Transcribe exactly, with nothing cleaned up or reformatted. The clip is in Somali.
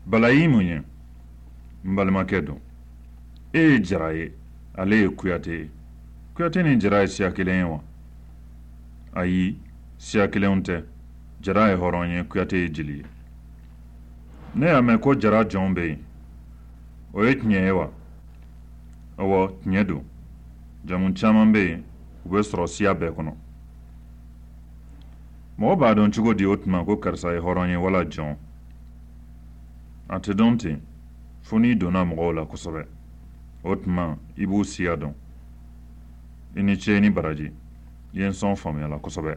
Bala y'i mun ye? N balimakɛ don. E ye Jara ye, ale ye Kuyate ye. Kuyate ni Jara ye siya kelen ye wa? Ayi, siya kelenw tɛ. Jara ye hɔrɔn ye, Kuyate ye jeli ye. Ne y'a mɛn ko Jara jɔnw bɛ yen. O ye tiɲɛ ye wa? Ɔwɔ, tiɲɛ don. Jamu caman bɛ yen, u bɛ sɔrɔ siya bɛɛ kɔnɔ. Mɔgɔ b'a dɔn cogo di o tuma ko karisa ye hɔrɔn ye wala jɔn? A tɛ dɔn ten fo n'i donna mɔgɔw la kosɛbɛ. O tuma i b'u siya dɔn. I ni ce, i ni baraji. I ye n sɔn faamuya la kosɛbɛ.